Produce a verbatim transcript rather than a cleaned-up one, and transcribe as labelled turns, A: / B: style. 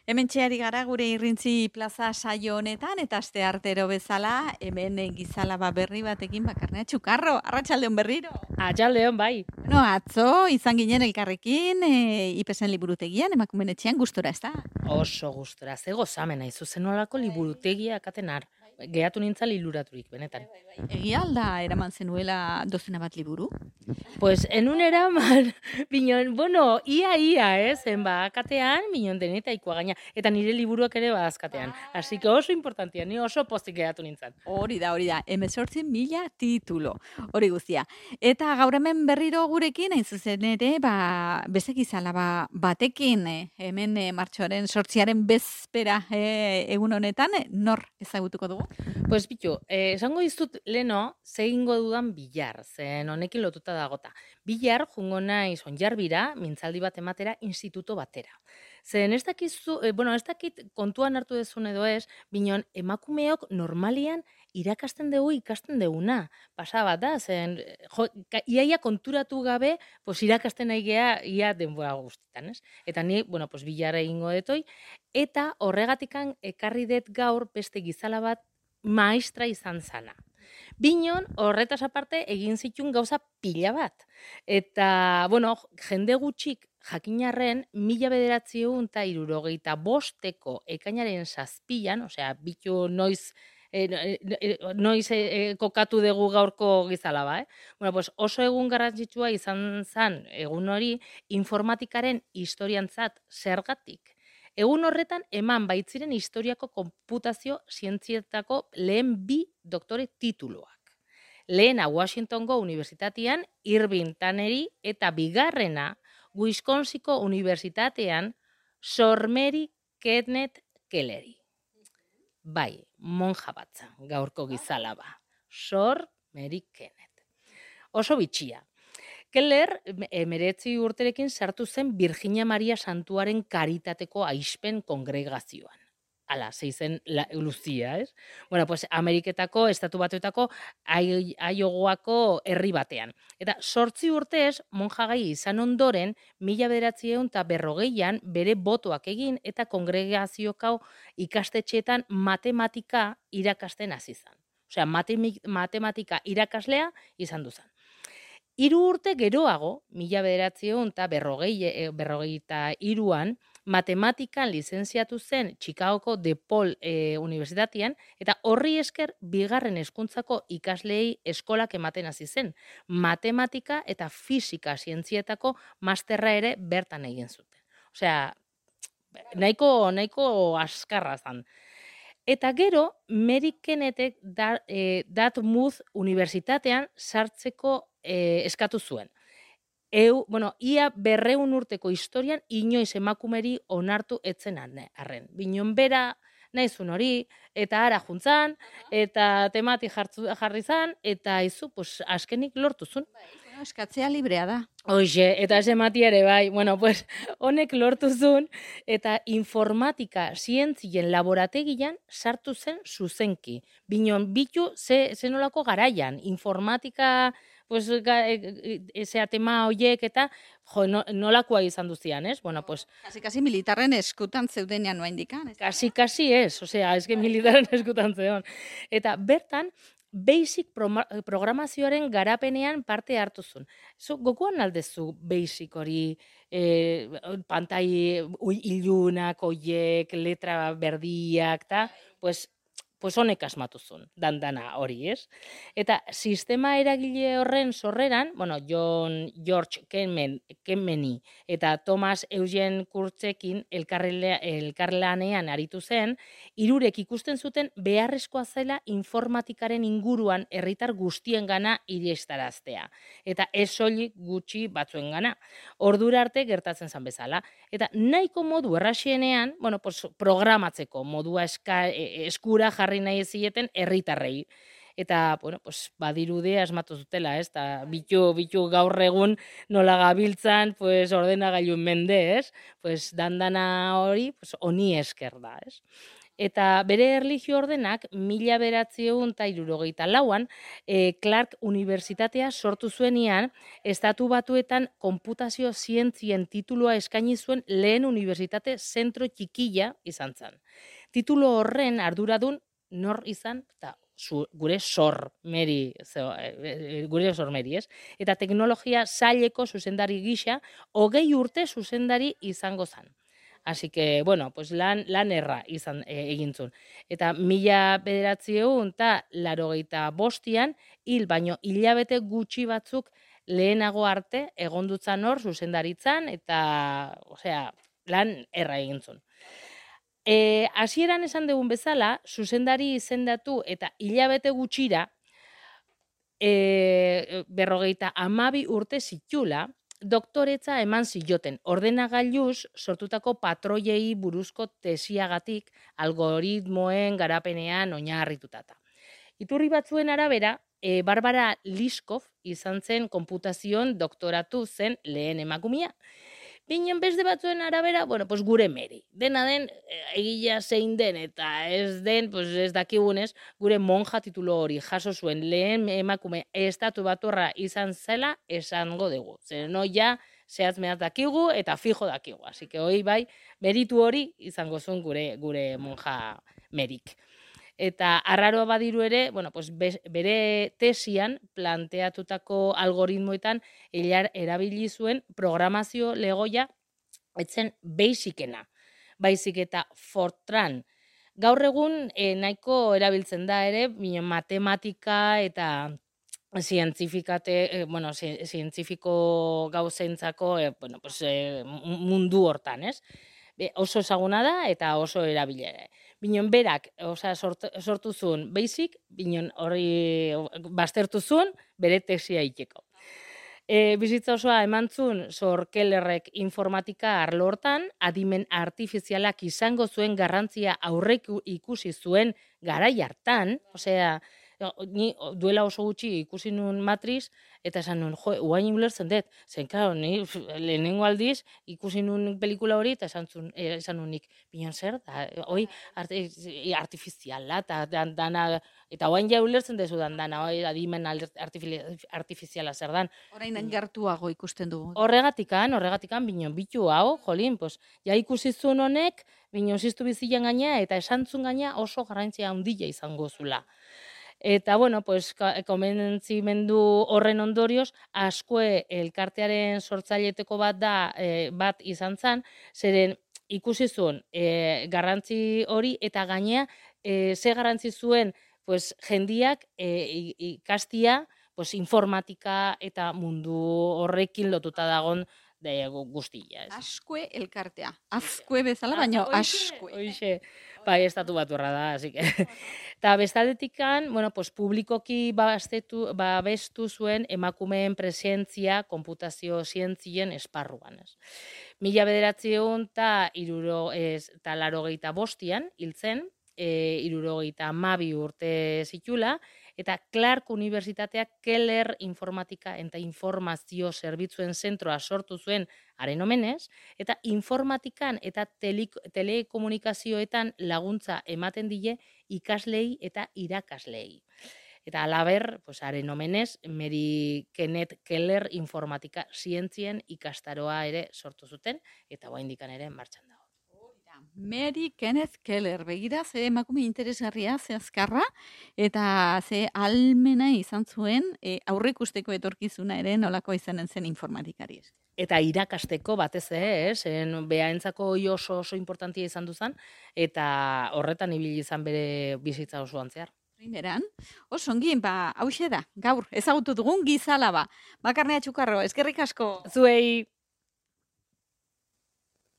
A: Hemen txeari gara gure irrintzi plaza saio honetan, eta aste artero bezala, hemen gizalaba berri batekin bakarnea txukarro, arratsaldeon berriro.
B: Atxaldeon, bai.
A: No, atzo, izan ginen elkarrekin, e, ipesen liburutegian, emakumen etxean gustora, ez da?
B: Oso gustora, ze gozamena izu zenolako liburutegia akatenar. Gehatu nintzal iluraturik, benetan.
A: Egia alda eraman zenuela dozena bat liburu?
B: Pues, enun eraman, binon, bueno, ia, ia, ez, eh? Ba, akatean, binon denetaikoa gaina, eta nire liburuak ere ba azkatean. Así que oso importantia, ni oso pozik gehatu nintzen.
A: Hori da, hori da, hemezortzi mila titulo, hori guztia. Eta gaur hemen berriro gurekin, hain zuzen ere, ba, bezek izala, ba, batekin, eh, hemen eh, martxoaren sortziaren bezpera eh, egun honetan, eh, nor ezagutuko dugu?
B: Pues bitu, eh, esango dizut leno, zehingo dudan bilar, zen honekin lotuta dagota. Bilar, jungo naiz onjarbira, mintzaldi bat ematera, instituto batera. Zen ez dakizu, eh, bueno, ez dakit kontuan hartu dezun edo ez, binon emakumeok normalian irakasten dugu ikasten duguna. Pasa bat da, zen, jo, ka, iaia konturatu gabe, pues irakasten nahi gea, ia denbora guztitan, ez? Eta ni, bueno, pues bilarra egingo detoi, eta horregatikan ekarri dut gaur beste gizala bat maestra izan zana. Binon, horretaz aparte, egin zitun gauza pila bat. Eta, bueno, jende gutxik jakinarren, mila bederatziehun eta hirurogeita bosteko ekainaren zazpian, osea, bitu noiz, eh, eh, noiz eh, kokatu dugu gaurko gizalaba, eh? Bueno, pues oso egun garrantzitsua izan zen egun hori informatikaren historiantzat zergatik. Egun horretan eman baitziren historiako konputazio zientzietako lehen bi doktore tituluak. Lehena Washingtongo Unibertsitatean Irving Tanneri eta bigarrena Wisconsinko Unibertsitatean Sor Mary Kenneth Kelleri. Bai, monja batza, gaurko gizalaba. Sor Mary Kenneth. Oso bitxia. Keller emeretzi urterekin sartu zen Virginia Maria Santuaren karitateko aizpen kongregazioan. Ala, zeizen luzia, ez? Bueno, pues Ameriketako, Estatu Batuetako, Aiogoako herri batean. Eta sortzi urtez, monjagai izan ondoren, mila bederatziehun eta berrogeian bere botoak egin eta kongregaziokau ikastetxeetan matematika irakasten hasi zen. Osea, matematika irakaslea izan duzan. Hiru urte geroago, mila bederatziehun eta berrogei, berrogeita hiruan, matematikan lizentziatu zen Chicagoko DePaul e, Unibertsitatean, eta horri esker bigarren hezkuntzako ikasleei eskolak ematen hasi zen. Matematika eta fisika zientzietako masterra ere bertan egin zuten. Osea, nahiko, nahiko askarra zen. Eta gero, Mary Kennethek da, e, Dartmouth Unibertsitatean sartzeko e, eskatu zuen. Eu, bueno, ia berreun urteko historian inoiz emakumeri onartu etzen arren. Binon bera nahizun hori, eta ara juntzan, eta temati jartzu, jarri zan, eta izu, pues, askenik lortuzun.
A: Bueno, eskatzea librea da.
B: Hoxe, eta ez emati ere, bai, bueno, pues, honek lortuzun, eta informatika zientzien laborategian sartu zen zuzenki. Binon, bitu ze, zenolako garaian, informatika, pues, ezea tema hoiek eta, jo, no, nolakoa izan duzian, ez? Bueno, pues...
A: Kasi, kasi militarren eskutan zeudenean noa indikan, ez?
B: Kasi, kasi ez, osea, ez que militarren eskutan zeuden. Eta bertan, Basic programazioaren garapenean parte hartuzun. Zo, gogoan aldezu Basic hori, e, pantai ilunak, oiek, letra berdiak, ta, pues, pues honek asmatuzun, dandana hori, ez? Eta sistema eragile horren sorreran, bueno, John George Kenmen, Kenmeni eta Thomas Eugene Kurtzekin elkarlanean aritu zen, hirurek ikusten zuten beharrezkoa zela informatikaren inguruan herritar guztien gana irestaraztea. Eta ez soilik gutxi batzuen gana. Ordura arte gertatzen zen bezala. Eta nahiko modu errasienean, bueno, pues, programatzeko modua eska, eskura jarri nahi zieten herritarrei. eta, bueno, pues, badirudea asmatu zutela, ez, eta bitu, bitu gaur egun nola gabiltzan, pues, ordenagailun mende, ez, pues, dandana hori, pues, honi esker da, ez. Eta bere erlijio ordenak, mila bederatziehun eta hirurogeita lauan, e, Clark Unibertsitatea sortu zuenian, Estatu Batuetan konputazio zientzien titulua eskaini zuen lehen unibertsitate zentro txikila izan zen. Titulo horren arduradun nor izan, eta zu, gure sor meri, zeo, e, gure sor meri, ez? Eta teknologia saileko zuzendari gisa, hogei urte zuzendari izango zen. Así que, bueno, pues lan, lan erra izan e, egin zuen. Eta mila bederatziehun eta laurogeita bostian, hil baino hilabete gutxi batzuk lehenago arte egondutzan hor zuzendaritzan, eta, osea, lan erra egin zuen. E, hasieran esan dugun bezala, zuzendari izendatu eta hilabete gutxira, e, berrogeita amabi urte zitula, doktoretza eman zioten, ordenagailuz sortutako patroiei buruzko tesiagatik algoritmoen garapenean oinarritutata. Iturri batzuen arabera, e, Barbara Liskov izan zen konputazioan doktoratu zen lehen emakumea. Binen beste batzuen arabera, bueno, pues gure meri. Dena den, egila zein den eta ez den, pues ez dakigunez, gure monja titulo hori jaso zuen lehen emakume estatu baturra izan zela esango dugu. Zer no ja, zehaz mehaz dakigu eta fijo dakigu. Así que hoi bai, meritu hori izango zuen gure, gure monja merik. Eta arraroa badiru ere, bueno, pues bere tesian planteatutako algoritmoetan hilar erabili zuen programazio legoia etzen basicena, baizik eta Fortran. Gaur egun eh, nahiko erabiltzen da ere, matematika eta zientzifikate, eh, bueno, zientzifiko gauzentzako eh, bueno, pues, eh, mundu hortan, ez? Be, oso ezaguna da eta oso erabilera. Binon berak, osea, sortu, sortu zuen basic, binon hori baztertu zuen bere tesia iteko. E, bizitza osoa eman zuen Sor Kellerrek informatika arlo hortan, adimen artifizialak izango zuen garrantzia aurrek ikusi zuen garai hartan, osea, ni duela oso gutxi ikusi nuen Matriz, eta esan nuen, jo, uain ulertzen dut, zen, claro, ni lehenengo aldiz ikusi nuen pelikula hori, eta esan, zun, esan nuen nik, bilan zer, da, hoi artifiziala, eta dana, eta uain ja ulertzen dezu dan dana, hoi adimen artifiziala zer dan.
A: Orain gertuago ikusten dugu.
B: Horregatikan, horregatikan, binon, bitu hau, jolin, pues, ja ikusi zuen honek, binon ziztu bizilan gaina, eta esantzun gaina oso garrantzia handia izango zula. Eta, bueno, pues, komentzimendu horren ondorioz, askue elkartearen sortzaileteko bat da, e, bat izan zen, zeren ikusi zuen e, garrantzi hori, eta gainea, e, ze garrantzi zuen, pues, jendiak e, ikastia, pues, informatika eta mundu horrekin lotuta dagon de guztia.
A: Askue elkartea. Azkue bezala, baina askue.
B: Hoixe, bai, estatu baturra da, así que. Eta bestaldetikan, bueno, pues, publikoki babestu, babestu zuen emakumeen presentzia konputazio zientzien esparruan. Ez. Mila bederatziehun eta laurogeita bostian hiltzen, e, hirurogeita hamabi urte zitula, eta Clark Unibertsitateak Keller informatika eta informazio zerbitzuen zentroa sortu zuen haren omenez, eta informatikan eta tele, telekomunikazioetan laguntza ematen die ikaslei eta irakaslei. Eta alaber, pues, haren omenez, Mary Kenneth Keller informatika zientzien ikastaroa ere sortu zuten, eta oraindikan ere martxan dago.
A: Mary Kenneth Keller, begira, ze emakume interesgarria, ze azkarra, eta ze almena izan zuen e, aurreikusteko etorkizuna ere nolako izanen zen informatikari.
B: Eta irakasteko batez ere, zen behaentzako oso oso importantia izan duzan, eta horretan ibili izan bere bizitza osoan zehar.
A: Primeran, oso ongi, ba, hauxe da, gaur, ezagutu dugun gizalaba. Bakarnea Txukarro, eskerrik asko.
B: Zuei!